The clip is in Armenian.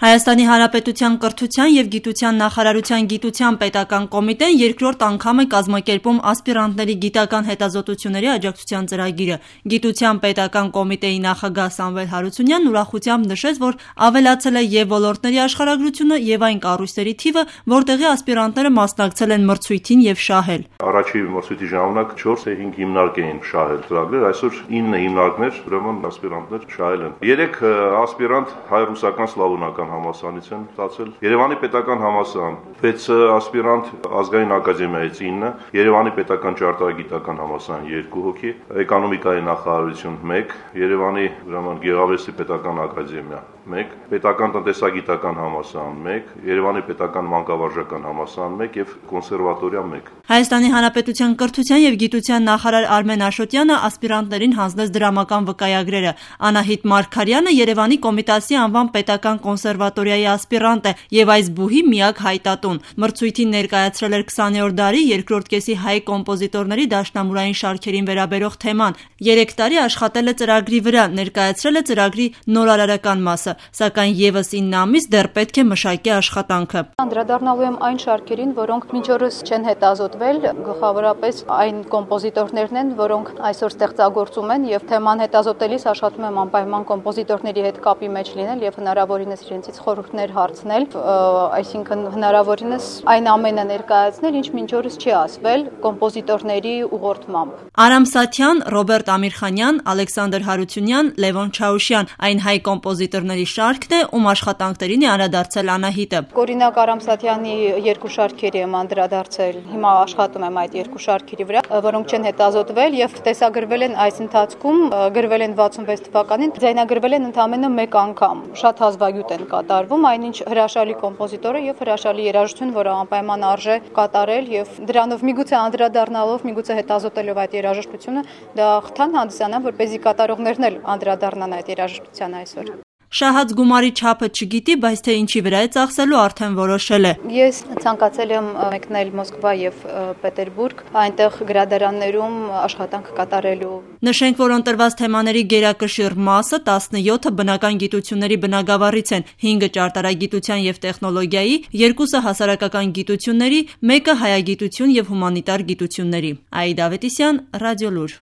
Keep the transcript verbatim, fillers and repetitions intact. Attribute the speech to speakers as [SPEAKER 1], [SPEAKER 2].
[SPEAKER 1] Հայաստանի Հանրապետության կրթության և գիտության նախարարության գիտության պետական կոմիտեն երկրորդ անգամ է կազմակերպում ասպիրանտների գիտական հետազոտությունների աջակցության ծրագիրը։ Գիտության պետական կոմիտեի նախագահ Սամվել Հարությունյանն ուրախությամբ նշեց, որ ավելացել է և ոլորտների աշխարհագրությունը, և այն կառույցների թիվը, որտեղի ասպիրանտները մասնակցել են մրցույթին և շահել։
[SPEAKER 2] Առաջի մրցույթի ժամանակ չորս թե հինգ հիմնարկ էին շահել ծրագրեր, այսօր ինը հիմնարկներ, ուրեմն ասպիրանտներ շահել են։ Երեք ասպիրանտ հայ-ռուսական սլավոնական համալսարանից են ստացել, Երևանի պետական համալսարան վեց ասպիրանտ, ազգային ակադեմիայից ինը, Երևանի պետական ճարտարագիտական համալսարան երկու հոգի, էկոնոմիկայի նախարարություն մեկ, Երևանի ուրեմն Գեղարվեստի պետական ակադեմիա մեկ, պետական տնտեսագիտական համալսարան մեկ, Երևանի պետական մանկավարժական համալսարան մեկ և կոնսերվատորիա մեկ։
[SPEAKER 1] Հայաստանի Հանրապետության կրթության և գիտության նախարար Արմեն Աշոտյանը ասպիրանտներին հանձնեց դրամական վկայագրերը։ Անահիտ Մարգարյանը Երևանի Կոմիտասի անվան պետական կոնսերվատորիայի ասպիրանտ է և այս բուհի միակ հայտատուն։ Մրցույթին ներկայացրել էր քսաներորդ դարի երկրորդ կեսի հայ կոմպոզիտորների դաշնամուրային շարքերին վերաբերող թեման։ Երեք տարի աշխատել է ծրագրի վրա, ներկայացրել է ծրագրի նորարարական մասը, սակայն ևս ինը ամիս դեռ պետք է մշակի աշխատանքը։
[SPEAKER 3] Անդրադառնալու եմ այն շարքերին, որոնք մինչ օրս չեն հետազոտվել, գլխավորապես այն կոմպոզիտորներն են, որոնք այսօր ստեղծագործում են, եւ թեման հետազոտելիս աշխատում եմ անպայման կոմպոզիտորների հետ կապի մեջ լինել եւ հնարավորինս իրենցից խորհուրդներ հարցնել, այսինքն հնարավորինս այն ամենը ներկայացնել, ինչ մինչ օրս չի ասվել կոմպոզիտորների ուղղորդմամբ։
[SPEAKER 1] Արամ Սաթյան, Ռոբերտ Ամիրխանյան, Ալեքսանդր Հարությունյան, Լևոն Չաուշյան այն հայ կոմպոզիտորների շարքն է, ում աշխատանքներին է անդրադարձել Անահիտը։
[SPEAKER 3] Օրինակ Արամ Սաթյանի երկու շարքերի եմ անդրադարձել, հիմա աշխատում եմ այդ երկու շարքերի վրա, որոնք չեն հետազոտվել եւ տեսագրվել են այս ընթացքում, գրվել են վաթսունվեց թվականին, ձայնագրվել են ընդամենը մեկ անգամ։ Շատ հազվագյուտ են կատարվում, այնինչ հրաշալի կոմպոզիտոր է եւ հրաշալի երաժշտություն, որը անպայման արժե կատարել եւ դրանով միգուցե անդրադառնալով, միգուցե հետազոտելով այդ երաժշտությունը, դա խթան հանդիսանա, որպեսզի կատարողներն էլ անդրադառնան այդ երաժշտության այսօր։
[SPEAKER 1] Շահած գումարի չափը չգիտի, բայց թե ինչի վրա է ծախսելու արդեն որոշել է։
[SPEAKER 3] Ես ցանկացել եմ մեկնել Մոսկվա եւ Պետերբուրգ, այնտեղ գրադարաններում աշխատանք կատարելու։
[SPEAKER 1] Նշենք, որ ընտրված թեմաների գերակշիռ մասը տասնյոթը բնական գիտությունների բնագավառից են, հինգը ճարտարագիտության եւ տեխնոլոգիայի, երկուսը հասարակական գիտությունների, մեկը հայագիտություն եւ հումանիտար գիտությունների։ Աիդա Ավետիսյան, Ռադիոլուր։